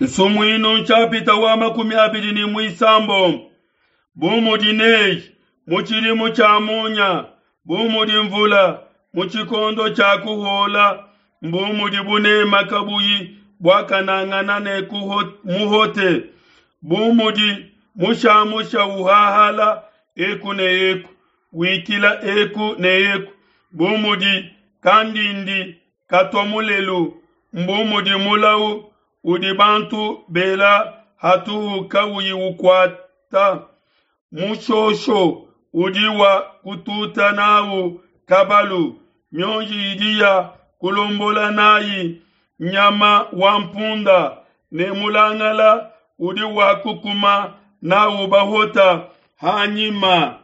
Nsumuinu nshapita wa 26. Bu mudi neige mu tshidimu tshia munya, bu mudi mvula mu tshikondo tshia kuhuola, mbu mudi bunema kabuyi buakanangana ne muhote, bu mudi mushamusha uhahala eku ne eku, wikila eku ne eku, bu mudi kandindi katua mulelu, mbu mudi mulau udi bantu bela hatuhu kauyi ukuata. Mushosho udi wa kututa nawu kabalu, mionji idi ya kulombola nayi nyama wa mpunda, ne mulangala udi wa kukuma nawu bahota hanyima.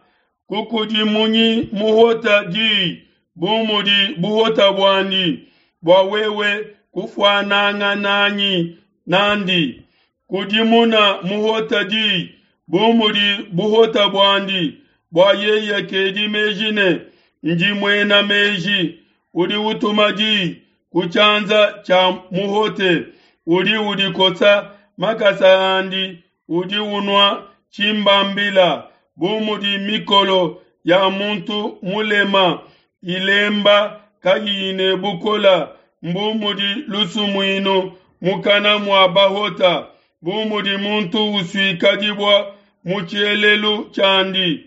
Kukudimunyi muhota diyi bu mudi buhota buandi, bua wewe kufuanangananyi nandi. Kudimuna muhota diyi bu mudi buhota buandi, bua yeye kedi meji ne, Ndi muena meji. Udi utuma diyi ku tshianza tshia muhote, udi udikosa makasa andi, udi unua tshimbambila. Bu mudi mikolo ya muntu mulema ilemba kayiyi ne bukole, mbu mudi lusumuinu mukana mua bahota. Bu mudi muntu usuika dibue mu tshielelu tshiandi,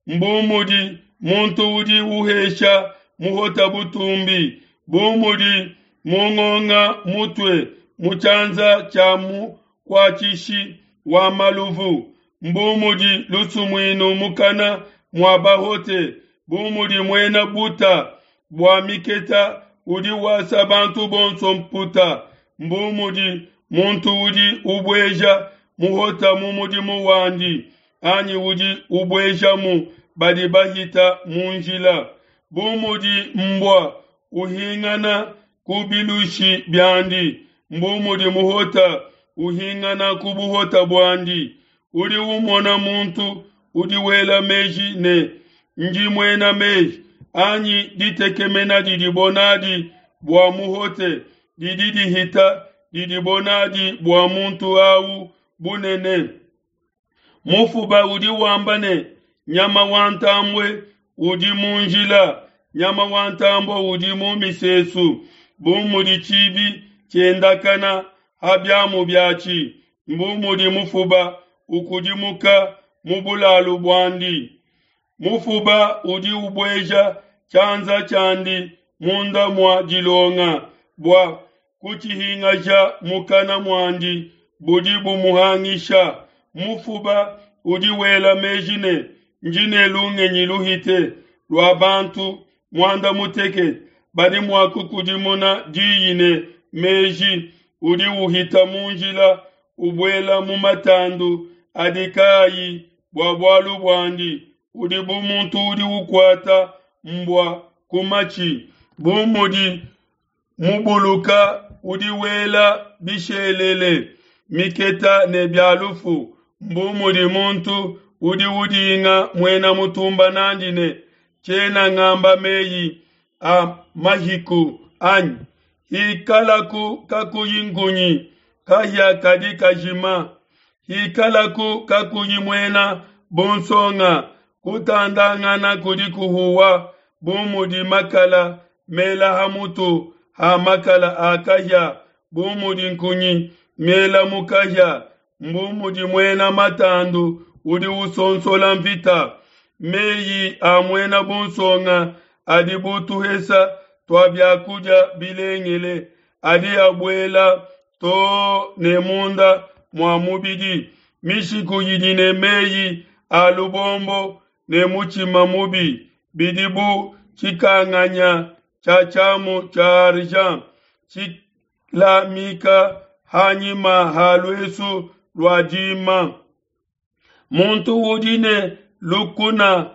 mbu mudi muntu udi uhesha muhota butumbi. Bu mudi mungonga mutue mu tshianza tshia mukuatshishi wa maluvu, mbu mudi lusumuinu mukana mua bahote. Bu mudi muena buta bua miketa udi wasa bantu bonso mputa, mbu mudi muntu udi ubueja muhota mu mudimu wandi, anyi udi ubuejamu badi bahita mu njila. Bu mudi mbua uhingana ku bilushi biandi, mbu mudi muhota uhingana ku buhota buandi. Udi umona muntu udi wela meji ne, Ndi muena meji, anyi ditekemena didibo nadi bua muhote didi dihita didibo nadi bua muntu au bunene. Mufuba udi wamba ne, Nyama wa ntambue udi mu njila, nyama wa ntambue udi mu misesu. Bu mudi tshibi tshiendakana ha biamu biatshi, mbu mudi mufuba ukudimuka mu bulalu buandi. Mufuba udi ubueja tshianza tshiandi munda mua dilonga bua kutshihingaja mukana muandi, budi bumuhangisha. Mufuba udi wela meji ne, Ndi ne lungenyi luhite lua bantu muanda mutekete badi mua kukudimuna diyi ne meji. Udi uhita mu njila, ubuela mu matandu adi kaayi bua bualu buandi, udi bu muntu udi ukuata mbua ku matshi. Bu mudi mubuluka udi wela bishelele, miketa ne bia lufu, mbu mudi muntu udi udinga muena mutumba nandi ne, Tshiena ngamba meyi a mahiku anyi? Hikalaku kakuyi nkunyi, kahia kadi kajima. Hikalaku kakuyi muena bunsonga, kutandangana kudi kuhuwa bu mudi makala mela ha mutu ha makala a kahia, bu mudi nkunyi miela mu kahia, mbu mudi muena matandu udi usonsola nvita. Meyi a muena bunsonga adi bu tuhesa tua bia kudia bilengele, adi abuela too ne munda mua mubidi. Mishiku idi ne meyi a lubombo ne mutshima mubi bidi bu tshikanganya tshia tshiamu tshia argent tshilamika hanyima ha luesu lua dima. Muntu udi ne lukuna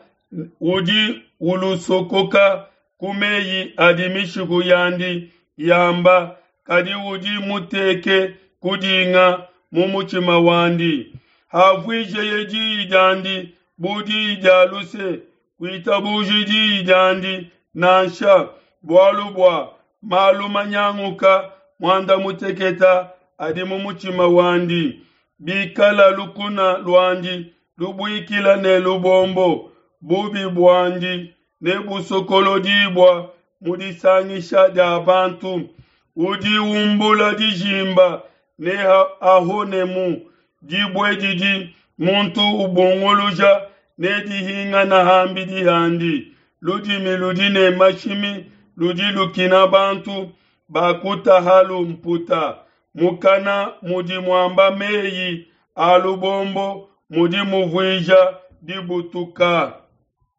udi ulusokoka ku meyi adi mishiku yandi yamba, kadi udi muteke kudinga mu mutshima wandi. Havuijeye diyi diandi bu diyi dia luse, kuitabuji diyi diandi nansha, bualu bua malu manyanguka muanda muteketa. adi mu mutshima wandi. Bikala lukuna luandi lubuikila ne lubombo, bubi buandi nebusokolodibua mu disangisha dia bantu. Udi umbula dijimba neahonemu, dibue didi muntu ubunguluja nedihingana ham'bidi handi. Ludimi ludi ne mashimi ludi lukina bantu bakutahalu mputa. Mukana mudi muamba mei a lubombo mudi muvuija dibutuka.